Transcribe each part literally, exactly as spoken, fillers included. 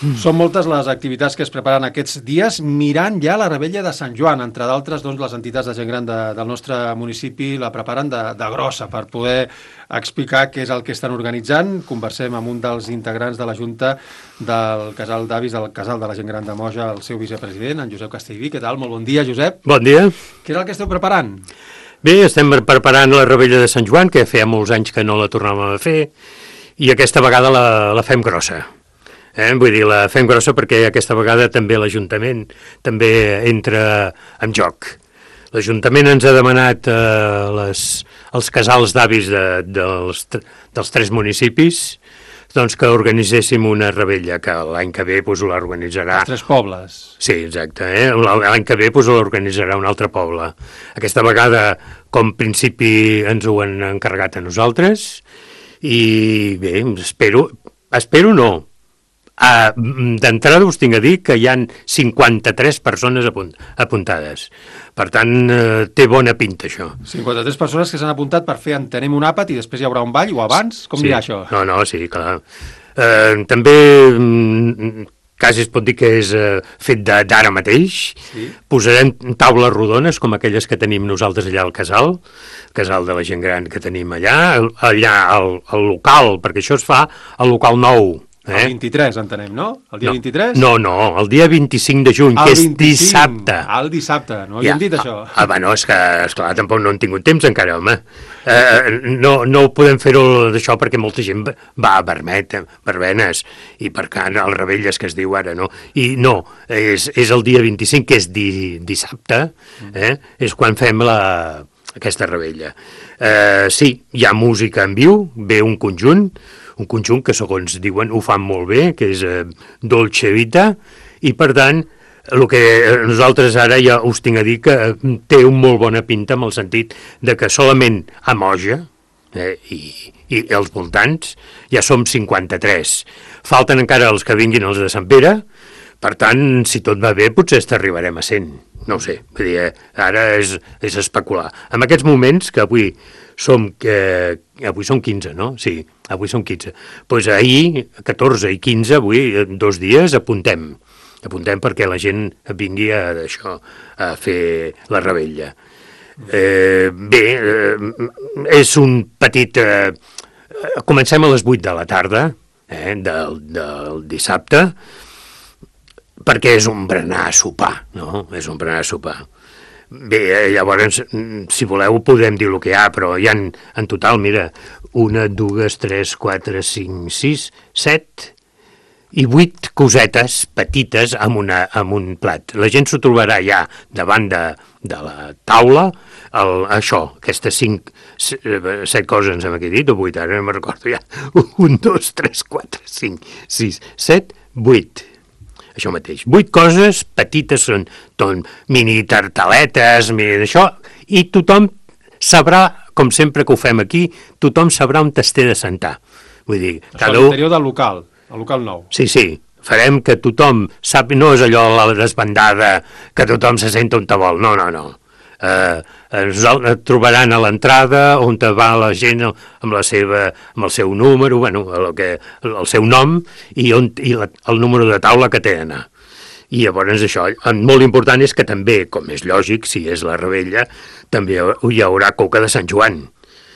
Són moltes les activitats que es preparen aquests dies mirant ja la Revetlla de Sant Joan. Entre d'altres, doncs, les entitats de gent gran de, del nostre municipi la preparen de, de grossa per poder explicar què és el que estan organitzant. Conversem amb un dels integrants de la Junta del Casal d'Avis, del Casal de la Gent Gran de Moja, el seu vicepresident, en Josep Castellví. Què tal? Molt bon dia, Josep. Bon dia. Què és el que esteu preparant? Bé, estem preparant la Revetlla de Sant Joan, que feia molts anys que no la tornàvem a fer, i aquesta vegada la, la fem grossa. Eh? Vull dir, la fem grossa perquè aquesta vegada també l'Ajuntament també entra en joc. L'Ajuntament ens ha demanat eh, les, els casals d'avis de, dels, dels tres municipis doncs que organitzéssim una revetlla, que l'any que ve pues, l'organitzarà... Els tres pobles. Sí, exacte. Eh? L'any que ve pues, l'organitzarà un altre poble. Aquesta vegada, com principi, ens ho han encarregat a nosaltres i bé, espero... Espero no. Uh, D'entrada us tinc a dir que hi han cinquanta-tres persones apunt apuntades. Per tant, uh, té bona pinta, això. cinquanta-tres persones que s'han apuntat per fer, entenem, un àpat i després hi haurà un ball, o abans? Com sí. dirà això? No, no, sí, clar. Uh, també, um, quasi es pot dir que és uh, fet d'ara mateix. Sí. Posarem taules rodones, com aquelles que tenim nosaltres allà al casal, casal de la gent gran que tenim allà, allà al, al local, perquè això es fa al local nou. Eh? El vint-i-tres, entenem, no? El dia no, vint-i-tres? No, no, el dia vint-i-cinc de juny, el que és vint-i-cinc. Dissabte. El dissabte, no havíem ja, dit això. Ah, bueno, és que, esclar, tampoc no hem tingut temps encara, home. Eh, no, no podem fer-ho d'això perquè molta gent va a Vermet, verbenes, i per tant, el Rebelles que es diu ara, no? I no, és, és el dia vint-i-cinc, que és di, dissabte, eh? És quan fem la, aquesta rebella. Eh, sí, hi ha música en viu, ve un conjunt, un conjunt que, segons diuen, ho fan molt bé, que és eh, Dolce Vita, i, per tant, el que nosaltres ara ja us tinc a dir que té un molt bona pinta en el sentit de que solament a Moja eh, i, i els voltants ja som cinquanta-tres. Falten encara els que vinguin els de Sant Pere, per tant, si tot va bé, potser arribarem a cent. No ho sé, vull dir, ara és, és especular. En aquests moments, que avui som, eh, avui som quinze, no? Sí, avui som quinze. Doncs pues ahir, catorze i quinze, avui, dos dies, apuntem. Apuntem perquè la gent vingui a, això, a fer la revetlla. Eh, bé, eh, és un petit... Eh, comencem a les vuit de la tarda, eh, del, del dissabte, perquè és un berenar a sopar, no? És un berenar a sopar. Bé, llavors, si voleu, podem dir el que hi ha, però hi ha en total, mira, una, dues, tres, quatre, cinc, sis, set i vuit cosetes petites amb, una, amb un plat. La gent s'ho trobarà ja davant de, de la taula, el, això, aquestes cinc, set coses ens hem aquí dit, o vuit, ara no me'n recordo ja. Un, dos, tres, quatre, cinc, sis, set, vuit. Això mateix. Vuit coses petites, són ton, mini tartaletes, mini d'això, i tothom sabrà, com sempre que ho fem aquí, tothom sabrà on t'esté de sentar. Vull dir, això cada a l'interior del local, el local nou. Sí, sí, farem que tothom sap, no és allò la desbandada, que tothom se senta on te vol, no, no, no. Eh, et trobaran a l'entrada on te va la gent amb, la seva, amb el seu número, bueno, el, que, el seu nom i, on, i la, el número de taula que té d'anar. I llavors això, molt important és que també, com és lògic, si és la revetlla, també hi haurà coca de Sant Joan.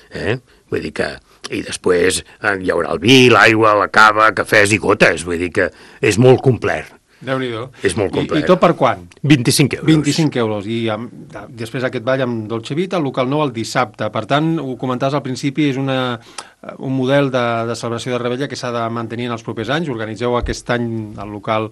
Eh? Vull dir que... I després hi haurà el vi, l'aigua, la cava, cafès i gotes. Vull dir que és molt complet. Déu-n'hi-do. És molt complet. I, I tot per quan? vint-i-cinc euros. vint-i-cinc euros. I amb, després aquest ball amb Dolce Vita, el local nou el dissabte. Per tant, ho comentaves al principi, és una, un model de, de celebració de revetlla que s'ha de mantenir en els propers anys. Organitzeu aquest any el local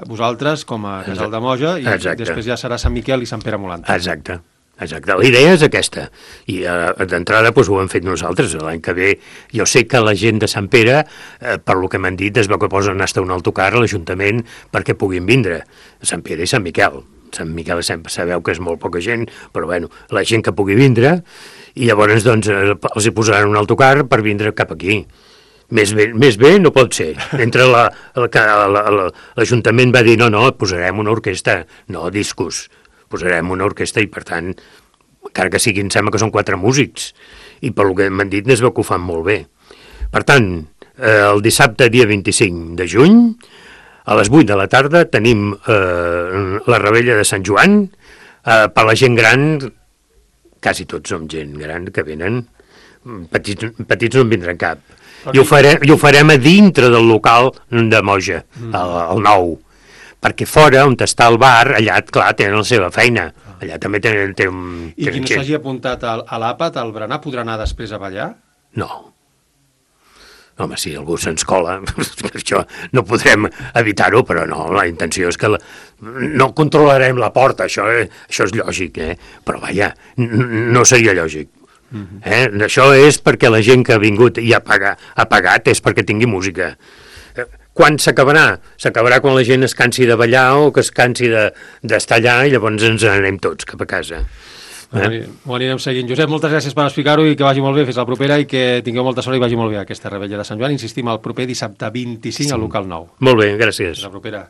vosaltres com a Casal de Moja i Exacte. Després ja serà Sant Miquel i Sant Pere Molantes. Exacte. Exacte, la idea és aquesta, i eh, d'entrada doncs, ho hem fet nosaltres, l'any que ve jo sé que la gent de Sant Pere, eh, per lo que m'han dit, es veu que posen hasta un autocar a l'Ajuntament perquè puguin vindre, Sant Pere i Sant Miquel. Sant Miquel sempre sabeu que és molt poca gent, però bueno, la gent que pugui vindre, i llavors doncs, els hi posaran un autocar per vindre cap aquí. Més bé, més bé no pot ser. Entre la, l'Ajuntament va dir, no, no, posarem una orquestra, no, discos. Posarem una orquestra i, per tant, encara que sigui, em sembla que són quatre músics, i pel que m'han dit es veu que ho fan molt bé. Per tant, eh, el dissabte, dia vint-i-cinc de juny, a les vuit de la tarda tenim eh, la revetlla de Sant Joan, eh, per la gent gran, quasi tots som gent gran que venen, petits, petits no en vindran cap. I ho, farem, I ho farem a dintre del local de Moja, mm. el, el nou, perquè fora, on està el bar, allà, clar, tenen la seva feina. Allà també tenen... tenen I qui no s'hagi apuntat a, a l'àpat, al berenar, podrà anar després a ballar? No. Home, si algú se'ns cola, això no podrem evitar-ho, però no, la intenció és que la, no controlarem la porta, això, eh, això és lògic, eh? Però vaja, no seria lògic. Uh-huh. Eh? Això és perquè la gent que ha vingut i ha pagat, ha pagat és perquè tingui música. Quan s'acabarà? S'acabarà quan la gent es cansi de ballar o que es cansi d'estar de, allà i llavors ens anem tots cap a casa. Eh? Ho anirem seguint. Josep, moltes gràcies per explicar-ho i que vagi molt bé, fins la propera i que tingueu molta sort i vagi molt bé aquesta revetlla de Sant Joan. Insistim, el proper dissabte vint-i-cinc sí. al local nou. Molt bé, gràcies. Fins la propera.